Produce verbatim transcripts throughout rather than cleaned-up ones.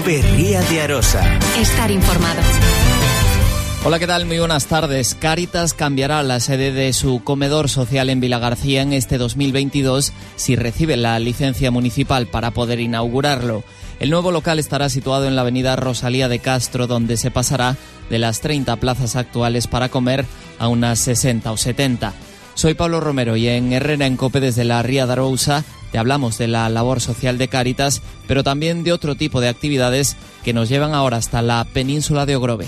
Cope Ría de Arosa. Estar informado. Hola, ¿qué tal? Muy buenas tardes. Cáritas cambiará la sede de su comedor social en Vilagarcía en este dos mil veintidós si recibe la licencia municipal para poder inaugurarlo. El nuevo local estará situado en la avenida Rosalía de Castro, donde se pasará de las treinta plazas actuales para comer a unas sesenta o setenta. Soy Pablo Romero y en Herrera en Cope desde la Ría de Arousa te hablamos de la labor social de Cáritas, pero también de otro tipo de actividades que nos llevan ahora hasta la península de Ogrove.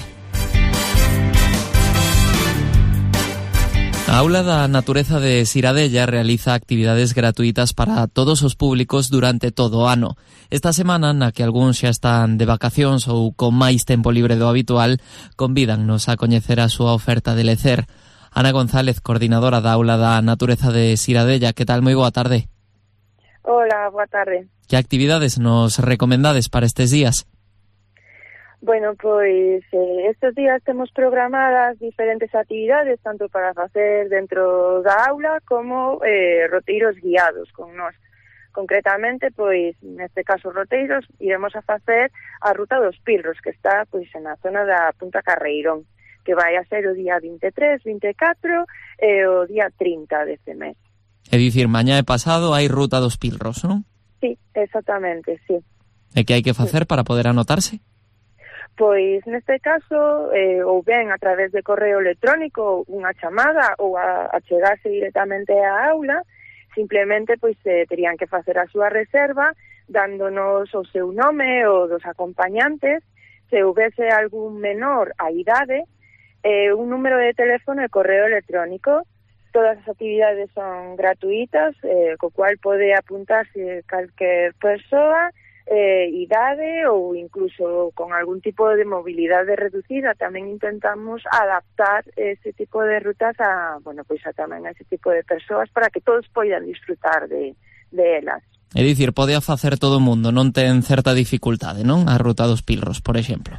A Aula da Natureza de Ciradella realiza actividades gratuitas para todos os públicos durante todo o ano. Esta semana, na que algúns xa están de vacacións ou con máis tempo libre do habitual, convídannos a coñecer a súa oferta de lecer. Ana González, coordinadora da Aula da Natureza de Ciradella, que tal? Moi boa tarde. Hola, boa tarde. Que actividades nos recomendades para estes días? Bueno, pois eh, estes días temos programadas diferentes actividades, tanto para facer dentro da aula como eh, roteiros guiados con nós. Concretamente, pois, neste caso roteiros, iremos a facer a Ruta dos Pilros, que está pois na zona da Punta Carreirón, que vai a ser o día vinte e tres, vinte e catro e o día trinta deste mes. É dicir, mañá e pasado hai Ruta dos Pilros, non? Sí, exactamente, sí. E que hai que facer sí. para poder anotarse? Pois neste caso, eh, ou ben a través de correo electrónico, unha chamada ou a, a chegarse directamente á aula, simplemente pois eh, terían que facer a súa reserva dándonos o seu nome ou dos acompañantes, se houvese algún menor a idade, eh, un número de teléfono e correo electrónico. Todas as actividades son gratuitas, eh, co cual pode apuntarse calquer persoa, Eh, idade ou incluso con algún tipo de mobilidade reducida. Tamén intentamos adaptar ese tipo de rutas a, bueno, pois a tamén a ese tipo de persoas para que todos poidan disfrutar de, de elas. É dicir, pode a facer todo o mundo, non ten certa dificultade, non? A Ruta dos Pilros, por exemplo.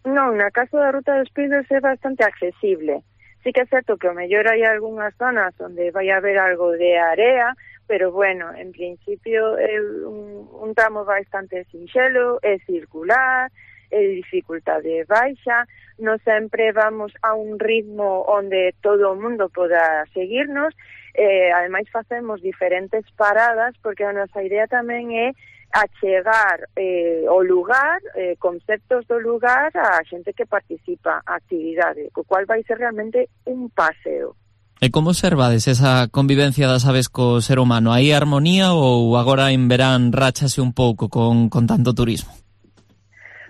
Non, na caso da Ruta dos Pilros é bastante accesible. Sí que é certo que o mellor hai algunhas zonas onde vai haber algo de area, pero bueno, en principio é un, un tramo bastante sinxelo, é circular, é de dificultade baixa, non sempre vamos a un ritmo onde todo o mundo poda seguirnos, eh, ademais facemos diferentes paradas, porque a nosa idea tamén é achegar eh, o lugar, eh, conceptos do lugar a xente que participa a actividade, co cual vai ser realmente un paseo. E como observades esa convivencia das aves co ser humano? Hai armonía ou agora en verán ráchase un pouco con, con tanto turismo?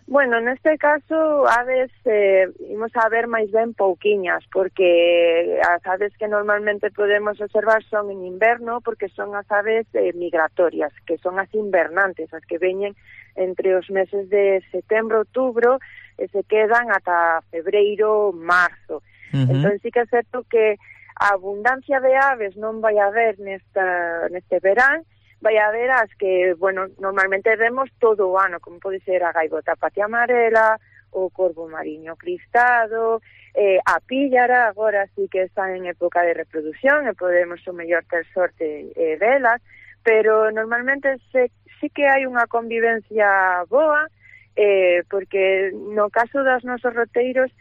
Bueno, neste caso, aves eh, imos a ver máis ben pouquiñas, porque as aves que normalmente podemos observar son en inverno, porque son as aves eh, migratorias, que son as invernantes, as que veñen entre os meses de setembro, outubro, e se quedan ata febreiro, marzo. Uh-huh. Entón, sí que é certo que a abundancia de aves non vai haber nesta, neste verán, vai haber as que, bueno, normalmente vemos todo o ano, como pode ser a gaivota patia amarela, o corvo mariño cristado, eh, a píllara, agora sí que está en época de reproducción e podemos o mellor ter sorte eh, velas, pero normalmente se, sí que hai unha convivencia boa, eh, porque no caso das nosos roteiros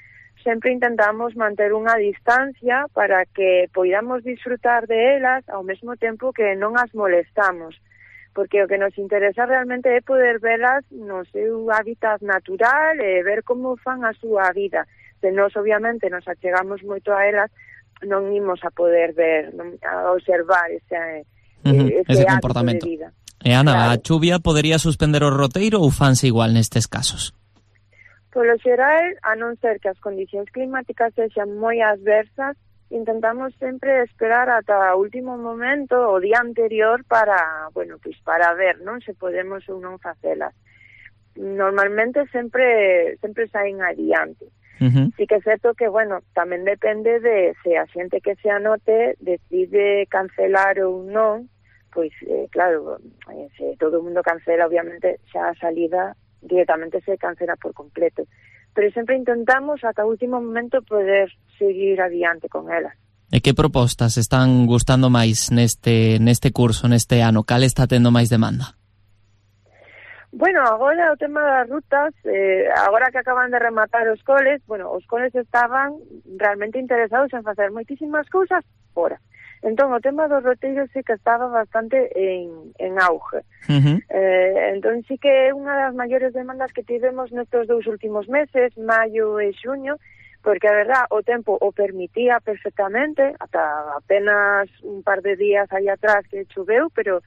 sempre intentamos manter unha distancia para que poidamos disfrutar de elas ao mesmo tempo que non as molestamos, porque o que nos interesa realmente é poder velas no seu hábitat natural e ver como fan a súa vida. Se nós, obviamente, nos achegamos moito a elas, non imos a poder ver, non, a observar ese, uh-huh, ese, ese hábito comportamento de vida. E Ana, claro. A chuvia podería suspender o roteiro ou fanse igual nestes casos? Polo xeral, a non ser que as condicións climáticas sexan moi adversas, intentamos sempre esperar ata o último momento, o día anterior, para, bueno, pois para ver, non, se podemos ou non facelas. Normalmente sempre sempre saen adiante. Uh-huh. Sí que é certo que, bueno, tamén depende de se a xente que se anote decide cancelar ou non, pois, eh, claro, eh, se todo o mundo cancela, obviamente, xa a salida directamente se cancela por completo. Pero sempre intentamos ata o último momento poder seguir adiante con elas. E que propostas están gustando máis neste neste curso, neste ano? Cal está tendo máis demanda? Bueno, agora o tema das rutas, eh, agora que acaban de rematar os coles, bueno, os coles estaban realmente interesados en facer moitísimas cousas fora. Entón, o tema dos roteiros sí que estaba bastante en, en auge. Uh-huh. Eh, entón, sí que é unha das maiores demandas que tivemos nestes dous últimos meses, maio e xuño, porque a verdad, o tempo o permitía perfectamente, ata apenas un par de días aí atrás que choveu, pero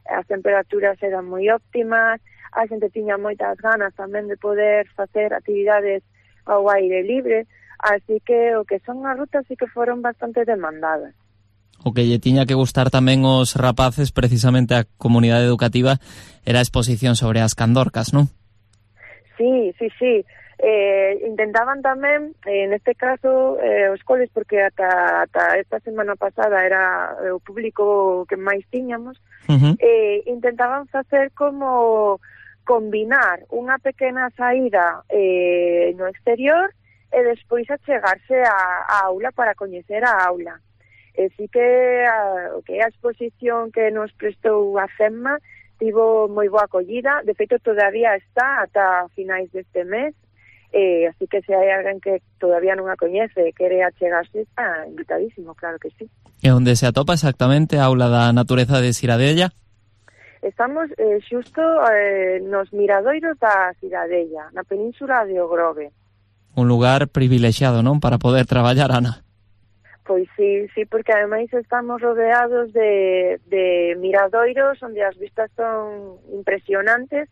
as temperaturas eran moi óptimas, a xente tiña moitas ganas tamén de poder facer actividades ao aire libre, así que o que son as rutas sí que foron bastante demandadas. O que lle tiña que gustar tamén os rapaces, precisamente a comunidade educativa, era a exposición sobre as candorcas, non? Sí, sí, sí. Eh, intentaban tamén, eh, neste caso, eh, os coles, porque ata, ata esta semana pasada era o público que máis tiñamos, uh-huh. eh, intentaban facer como combinar unha pequena saída eh, no exterior e despois achegarse á aula para coñecer a aula. E sí que a, o que é a exposición que nos prestou a CEMMA tivo moi boa acollida, de feito todavía está ata finais deste mes, eh, así que se hai alguén que todavía non a coñece e quere achegarse, está invitadísimo, claro que sí. E onde se atopa exactamente a Aula da Natureza de Ciradella? Estamos eh, xusto eh, nos miradoiros da Ciradella, na península de Ogrove. Un lugar privilexiado, non? Para poder traballar, Ana. Pois sí, sí, porque ademais estamos rodeados de, de miradoiros onde as vistas son impresionantes.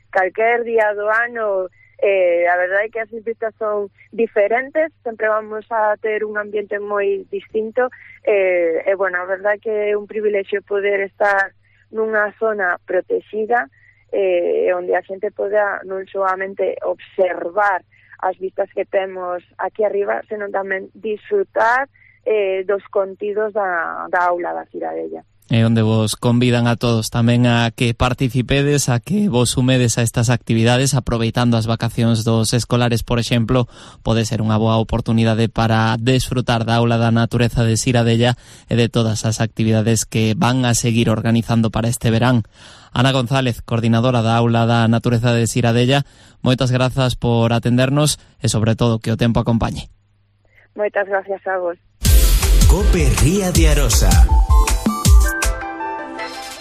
Calquer día do ano, eh, a verdade é que as vistas son diferentes, sempre vamos a ter un ambiente moi distinto, eh, e, bueno, a verdade é que é un privilexio poder estar nunha zona protegida, eh, onde a xente poda non solamente observar as vistas que temos aquí arriba, senón tamén disfrutar eh, dos contidos da, da aula da Ciradella. E onde vos convidan a todos tamén a que participedes, a que vos sumedes a estas actividades, aproveitando as vacacións dos escolares, por exemplo, pode ser unha boa oportunidade para desfrutar da Aula da Natureza de Ciradella e de todas as actividades que van a seguir organizando para este verán. Ana González, coordinadora da Aula da Natureza de Ciradella, moitas grazas por atendernos e, sobre todo, que o tempo acompañe. Moitas gracias a vos. COPE Ría de Arosa.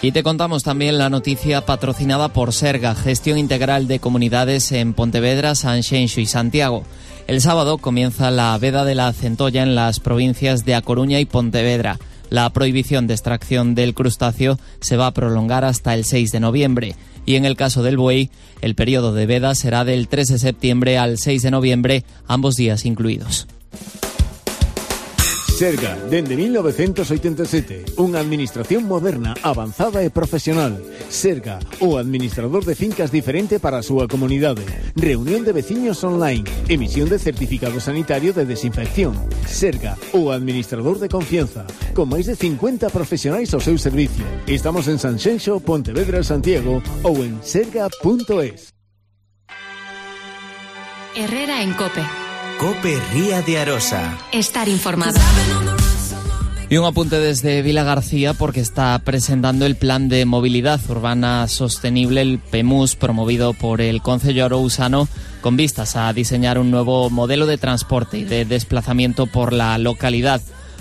Y te contamos también la noticia patrocinada por Serga, Gestión Integral de Comunidades en Pontevedra, Sanxenxo y Santiago. El sábado comienza la veda de la centolla en las provincias de A Coruña y Pontevedra. La prohibición de extracción del crustáceo se va a prolongar hasta el seis de noviembre. Y en el caso del buey, el periodo de veda será del tres de septiembre al seis de noviembre, ambos días incluidos. Serga, dende mil novecientos oitenta e sete, unha administración moderna, avanzada e profesional. Serga, o administrador de fincas diferente para a súa comunidade. Reunión de veciños online, emisión de certificado sanitario de desinfección. Serga, o administrador de confianza, con máis de cincuenta profesionais ao seu servicio. Estamos en Sanxenxo, Pontevedra, Santiago ou en serga punto es. Herrera en COPE. COPE Ría de Arosa. Estar informado. Y un apunte desde Vilagarcía porque está presentando el Plan de Movilidad Urbana Sostenible, el PEMUS, promovido por el Concello Arousano, con vistas a diseñar un nuevo modelo de transporte y de desplazamiento por la localidad.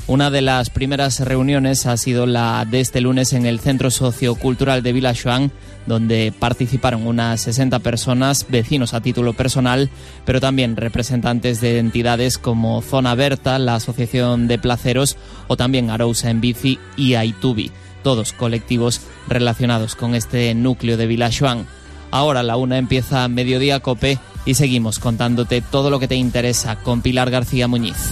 Una de las primeras reuniones ha sido la de este lunes en el Centro Sociocultural de Vilaxoán, donde participaron unas sesenta personas, vecinos a título personal, pero también representantes de entidades como Zona Berta, la Asociación de Placeros o también Arousa en Bici y Aitubi, todos colectivos relacionados con este núcleo de Vilaxoán. Ahora la una empieza Mediodía COPE y seguimos contándote todo lo que te interesa con Pilar García Muñiz.